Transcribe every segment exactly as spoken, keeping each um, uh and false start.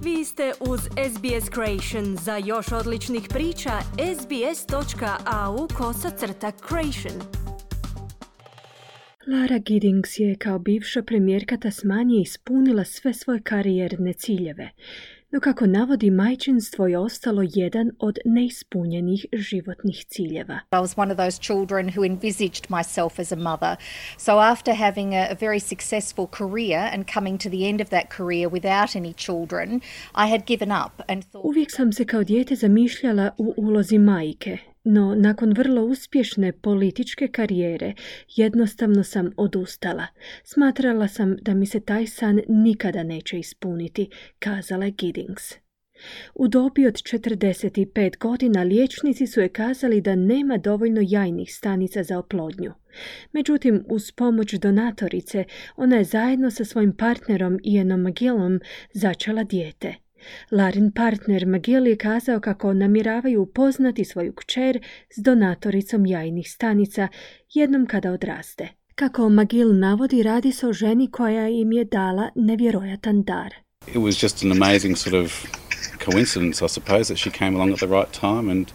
Vi ste uz S B S Creation. Za još odličnih priča, sbs.au kosacrta creation. Lara Giddings je kao bivša premijerka Tasmanije ispunila sve svoje karijerne ciljeve, no kako navodi, majčinstvo je ostalo jedan od neispunjenih životnih ciljeva. I was one of those children who envisaged myself as a mother. So after having a, a very successful career and coming to the end of that career without any children, I had given up and thought... Uvijek sam se kao dijete zamišljala u ulozi majke, no nakon vrlo uspješne političke karijere jednostavno sam odustala. Smatrala sam da mi se taj san nikada neće ispuniti, kazala je Giddings. U dobi od četrdeset pet godina liječnici su je kazali da nema dovoljno jajnih stanica za oplodnju. Međutim, uz pomoć donatorice, ona je zajedno sa svojim partnerom Ianom McGillom začela dijete. Larin partner McGill je kazao kako namjeravaju upoznati svoju kćer s donatoricom jajnih stanica jednom kada odraste. Kako McGill navodi, radi se o ženi koja im je dala nevjerojatan dar. It was just an amazing sort of coincidence, I suppose, that she came along at the right time and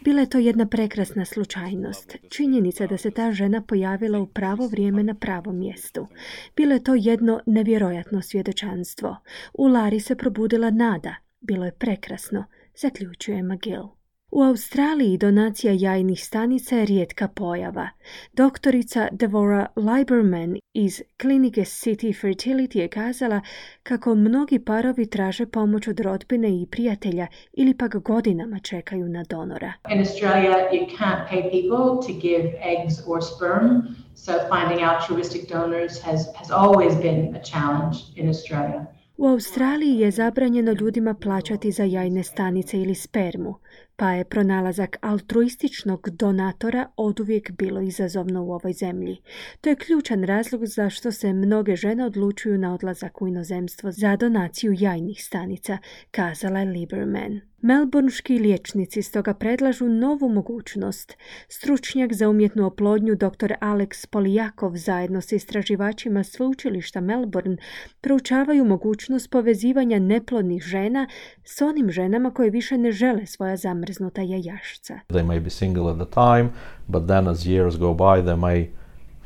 Bila je to jedna prekrasna slučajnost. Činjenica da se ta žena pojavila u pravo vrijeme na pravom mjestu. Bilo je to jedno nevjerojatno svjedočanstvo. U Lari se probudila nada. Bilo je prekrasno, zaključuje McGill. U Australiji donacija jajnih stanica je rijetka pojava. Doktorica Devora Lieberman iz klinike City Fertility je kazala kako mnogi parovi traže pomoć od rodbine i prijatelja ili pak godinama čekaju na donora. In Australia, you can't pay people to give eggs or sperm, so finding altruistic donors has, has always been a challenge in Australia. U Australiji je zabranjeno ljudima plaćati za jajne stanice ili spermu, pa je pronalazak altruističnog donatora oduvijek bilo izazovno u ovoj zemlji. To je ključan razlog zašto se mnoge žene odlučuju na odlazak u inozemstvo za donaciju jajnih stanica, kazala je Lieberman. Melbourneški liječnici stoga predlažu novu mogućnost. Stručnjak za umjetnu oplodnju dr. Alex Polijakov zajedno sa istraživačima sveučilišta Melbourne proučavaju mogućnost povezivanja neplodnih žena s onim ženama koje više ne žele svoja zamrznuta jajašca. They may be single at the time, but then as years go by they may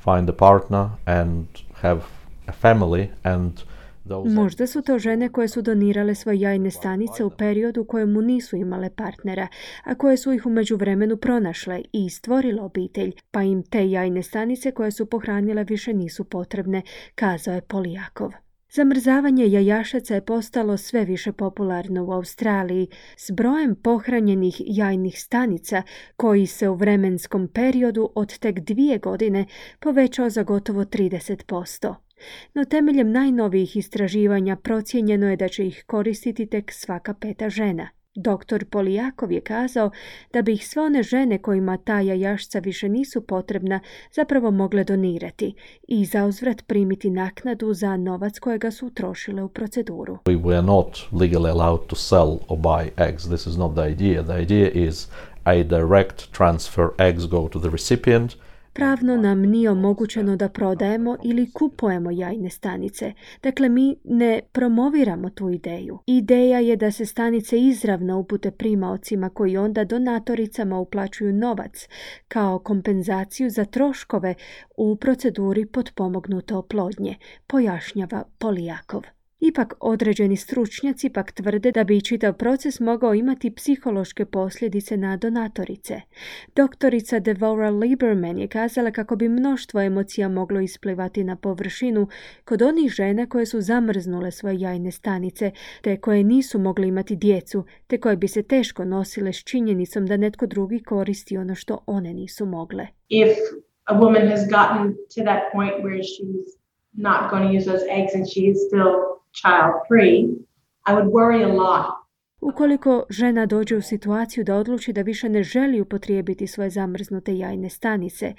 find a partner and have a family and Možda su to žene koje su donirale svoje jajne stanice u periodu u kojemu nisu imale partnera, a koje su ih u međuvremenu pronašle i stvorile obitelj, pa im te jajne stanice koje su pohranile više nisu potrebne, kazao je Polijakov. Zamrzavanje jajašaca je postalo sve više popularno u Australiji s brojem pohranjenih jajnih stanica koji se u vremenskom periodu od tek dvije godine povećao za gotovo trideset posto. No temeljem najnovijih istraživanja procijenjeno je da će ih koristiti tek svaka peta žena. doktor Polijakov je kazao da bi ih sve one žene kojima ta jajašca više nisu potrebna zapravo mogle donirati i zauzvrat primiti naknadu za novac kojega su utrošile u proceduru. We were not legally allowed to sell or buy eggs. This is not the idea. The idea is a direct transfer. Eggs go to the recipient. Pravno nam nije omogućeno da prodajemo ili kupujemo jajne stanice. Dakle, mi ne promoviramo tu ideju. Ideja je da se stanice izravno upute primaocima koji onda donatoricama uplaćuju novac kao kompenzaciju za troškove u proceduri potpomognute oplodnje, pojašnjava Polijakov. Ipak određeni stručnjaci pak tvrde da bi čitav proces mogao imati psihološke posljedice na donatorice. Doktorica Devora Lieberman je kazala kako bi mnoštvo emocija moglo isplivati na površinu kod onih žena koje su zamrznule svoje jajne stanice, te koje nisu mogle imati djecu, te koje bi se teško nosile s činjenicom da netko drugi koristi ono što one nisu mogle. If a woman has gotten to that point where she's not going to use those eggs and she is still child free, I would worry a lot. Ukoliko žena dođe u situaciju da odluči da više ne želi upotrijebiti svoje zamrznute jajne stanice,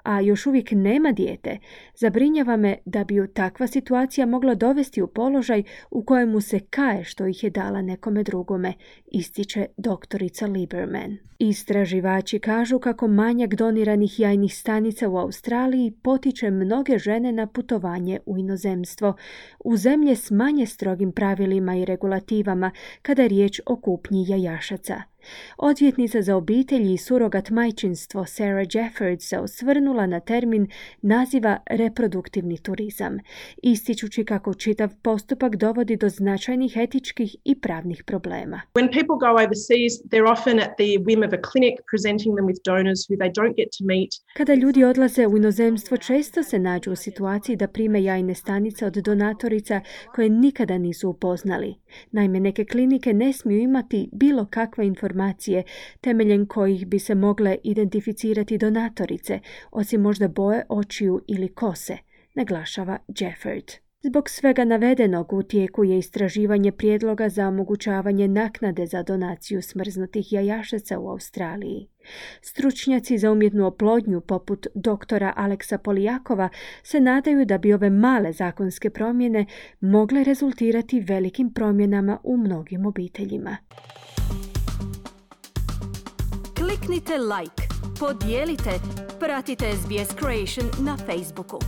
a još uvijek nema dijete, zabrinjava me da bi ju takva situacija mogla dovesti u položaj u kojemu se kaje što ih je dala nekome drugome, ističe doktorica Lieberman. Istraživači kažu kako manjak doniranih jajnih stanica u Australiji potiče mnoge žene na putovanje u inozemstvo, u zemlje s manje strogim pravilima i regulativama kada je riječ o kupnji jajašaca. Odvjetnica za obitelji i surogat majčinstvo Sarah Jeffords se osvrnula na termin naziva reproduktivni turizam, ističući kako čitav postupak dovodi do značajnih etičkih i pravnih problema. When people go overseas, they're often at the whim of a clinic presenting them with donors who they don't get to meet. Kada ljudi odlaze u inozemstvo, često se nađu u situaciji da prime jajne stanice od donatorica koje nikada nisu upoznali. Naime, neke klinike ne smiju imati bilo kakve informacije temeljem kojih bi se mogle identificirati donatorice, osim možda boje očiju ili kose, naglašava Jefford. Zbog svega navedenog u tijeku je istraživanje prijedloga za omogućavanje naknade za donaciju smrznutih jajašaca u Australiji. Stručnjaci za umjetnu oplodnju poput doktora Aleksa Polijakova se nadaju da bi ove male zakonske promjene mogle rezultirati velikim promjenama u mnogim obiteljima. Kliknite like, podijelite, pratite S B S Creation na Facebooku.